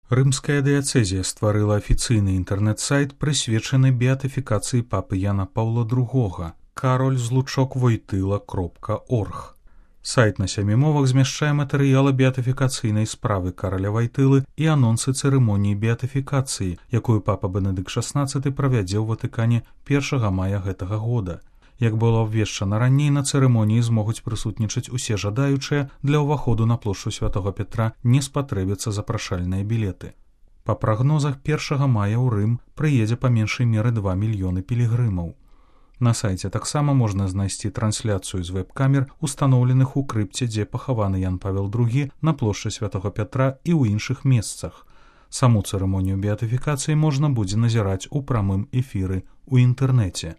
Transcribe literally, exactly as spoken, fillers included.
Рымская дыяцэзія стварыла афіцыйны інтэрнэт-сайт, прысвечаны беатыфікацыі папы Яна Паўла другога кароль злучок войтыла кропка орг. Сайт на сямі мовах змяшчае матэрыялы беатыфікацыйнай справы караля Вайтылы і анонсы цырымоніі беатыфікацыі, якую папа Бенедыкт шаснаццаты правядзе ў Ватыкане першага мая гэтага года. Як было абвешчана раней, на цырымоніі змогуць прысутнічаць усе жадаючыя, для ўваходу на плошчу Святога Петра не спатрэбяцца запрашальныя білеты. Па прагнозах першага мая ў Рым прыедзе па меншай меры два мільёны пілігрымаў. На сайце таксама можна знайсці трансляцыю з веб-камер, устаноўленых у крыпце, дзе пахаваны Ян Павел другі, на плошчы Святога Петра і ў іншых месцах. Саму цырымонію беатыфікацыі можна будзе назіраць у прамым эфіры ў інтэрнэце.